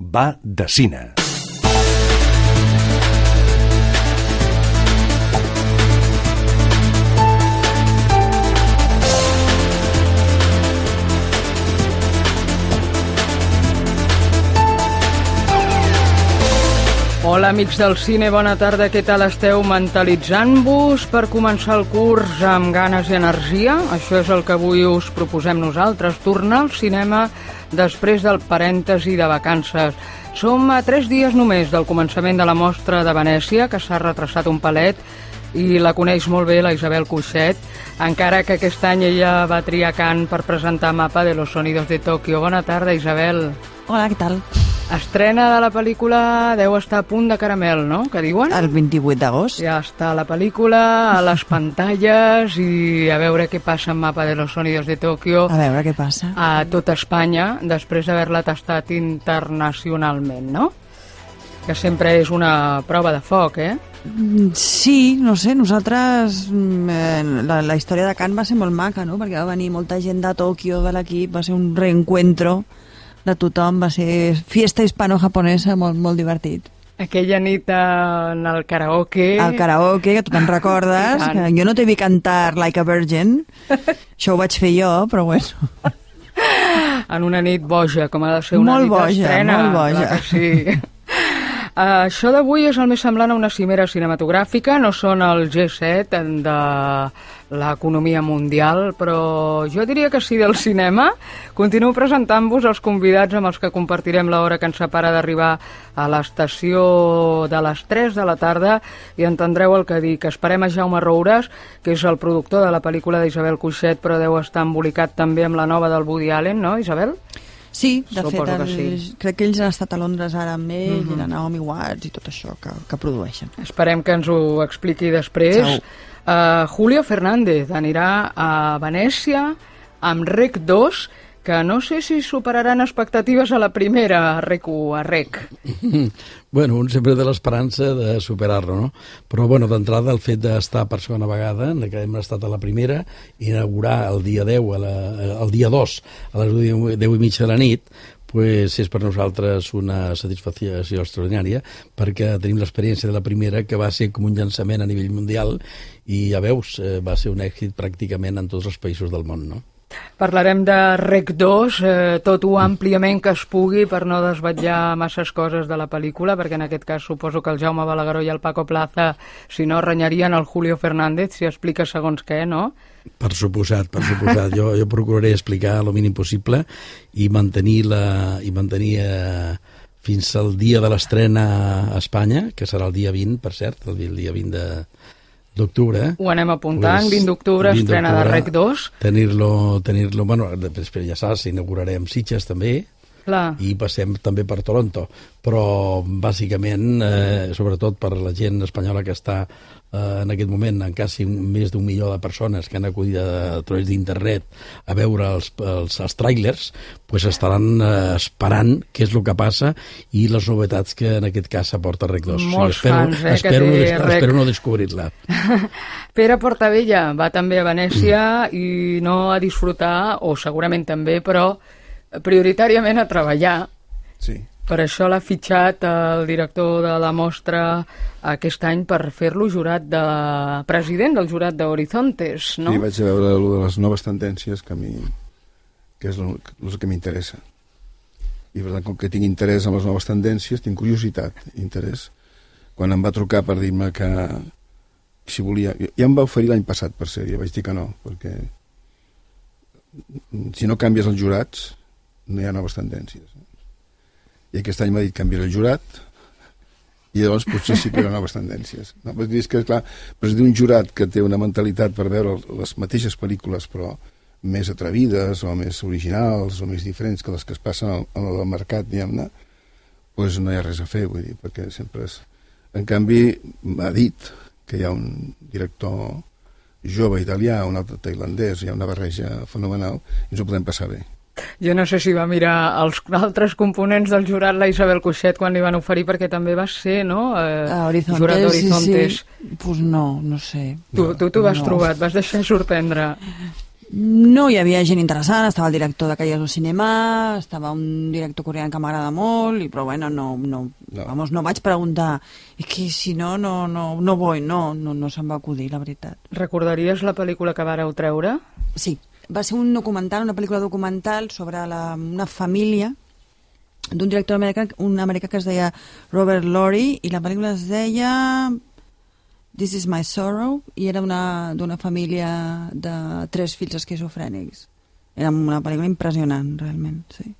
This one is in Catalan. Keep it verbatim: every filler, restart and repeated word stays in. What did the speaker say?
va de cine. Hola, amics del cine, bona tarda, què tal esteu? Mentalitzant-vos per començar el curs amb ganes i energia? Això és el que avui us proposem nosaltres, tornar al cinema després del parèntesi de vacances. Som a tres dies només del començament de la mostra de Venècia, que s'ha retrasat un palet, i la coneix molt bé la Isabel Cuixet, encara que aquest any ella va triar Cannes per presentar Mapa de los Sonidos de Tokio. Bona tarda, Isabel. Hola, què tal? Estrena de la pel·lícula deu estar a punt de caramel, no?, que diuen? El vint-i-vuit d'agost. Ja està la pel·lícula, a les pantalles, i a veure què passa amb Mapa de los Sonidos de Tokio. A veure què passa. A tot Espanya, després d'haver-la tastat internacionalment, no? Que sempre és una prova de foc, eh? Sí, no sé, nosaltres... La, la història de Cannes va ser molt maca, no?, perquè va venir molta gent de Tòquio, de l'equip, va ser un reencuentro de tothom, va ser fiesta hispano-japonesa, molt, molt divertit. Aquella nit en el karaoke... El karaoke, que tu te'n recordes, que jo no t'he vist cantar Like a Virgin, això ho vaig fer jo, però bueno... En una nit boja, com ha de ser una molt nit boja, d'estrena. Molt boja, molt boja. Sí. Uh, això d'avui és el més semblant a una cimera cinematogràfica, no són el G set de l'economia mundial, però jo diria que sí del cinema. Continuo presentant-vos els convidats amb els que compartirem l'hora que ens separa d'arribar a l'estació de les tres de la tarda i entendreu el que dic. Esperem a Jaume Roures, que és el productor de la pel·lícula d'Isabel Cuixet, però deu estar embolicat també amb la nova del Woody Allen, no, Isabel? Sí, de Suposo fet, el, sí. crec que ells han estat a Londres ara amb ell, uh-huh. i la Naomi Watts i tot això que, que produeixen. Esperem que ens ho expliqui després. Uh, Julio Fernández anirà a Venècia amb Rec dos, que no sé si superaran expectatives a la primera, Rec u, a Rec. Bueno, un sempre té l'esperança de superar-lo, no? Però, bueno, d'entrada, el fet d'estar per segona vegada, que hem estat a la primera, inaugurar el dia deu, a la, el dia dos, a les deu i mitja de la nit, pues és per nosaltres una satisfacció extraordinària, perquè tenim l'experiència de la primera, que va ser com un llançament a nivell mundial, i ja veus, va ser un èxit pràcticament en tots els països del món, no? Parlarem de Rec dos, eh, tot ho àmpliament que es pugui per no desvetllar masses coses de la pel·lícula, perquè en aquest cas suposo que el Jaume Balagueró i el Paco Plaza, si no, renyarien el Julio Fernández si explica segons què, no? Per suposat, per suposat. Jo, jo procuraré explicar el mínim possible i mantenir, la, i mantenir eh, fins al dia de l'estrena a Espanya, que serà el dia vint, per cert, el, el dia vint de... d'octubre. Ho anem apuntant, pues, vint d'octubre, estrena de Rec dos. Tenir-lo, tenir-lo, bueno, després ja saps, inaugurarem Sitges també, clar. I passem també per Toronto, però bàsicament, eh, sobretot per la gent espanyola que està eh, en aquest moment, en quasi un, més d'un milió de persones que han acudit a, a través d'internet a veure els, els, els tràilers, pues estaran eh, esperant què és el que passa i les novetats que en aquest cas aporta Rec dos. Molts sí, espero, fans, eh, espero, que té no, Rec. Espero no descobrir-la. Pere Portabella va també a Venècia mm. i no a disfrutar, o segurament també, però prioritàriament a treballar. Sí. Per això l'ha fitxat el director de la mostra aquest any per fer-lo jurat de president del jurat d'Horizontes, no? Sí, vaig a veure allò de les noves tendències que a mi que és el, el que m'interessa. I per tant, com que tinc interès en les noves tendències, tinc curiositat, interès. Quan em va trucar per dir-me que si volia... Ja em va oferir l'any passat, per ser, ja vaig dir que no, perquè si no canvies els jurats no hi ha noves tendències. I aquest any m'ha dit canviar el jurat i llavors potser sí que hi ha noves tendències. No? Perquè és que, clar, presidir un jurat que té una mentalitat per veure les mateixes pel·lícules però més atrevides o més originals o més diferents que les que es passen al, al mercat, diguem-ne, doncs no hi ha res a fer, vull dir, perquè sempre és... En canvi, m'ha dit que hi ha un director jove italià, un altre tailandès, hi ha una barreja fenomenal i ens ho podem passar bé. Jo no sé si va mirar els altres components del jurat la Isabel Cuixet quan li van oferir, perquè també va ser, no? Eh, a Horizontes, jurat d'Horizontes. Sí, sí. Pues no, no sé. Tu, tu t'ho vas no. trobar, et vas deixar sorprendre. No hi havia gent interessant, estava el director de Calles del Cinema, estava un director coreà que m'agrada molt, i, però bueno, no, no, no. Vamos, no vaig preguntar, és que si no, no, no, no vull, no, no, no se'm va acudir, la veritat. Recordaries la pel·lícula que vareu treure? Sí, va ser un documental, una pel·lícula documental sobre la, una família d'un director americà, un americà que es deia Robert Lorre, i la pel·lícula es deia This is my sorrow, i era d'una família de tres fills esquizofrènics. Era una pel·lícula impressionant, realment, sí.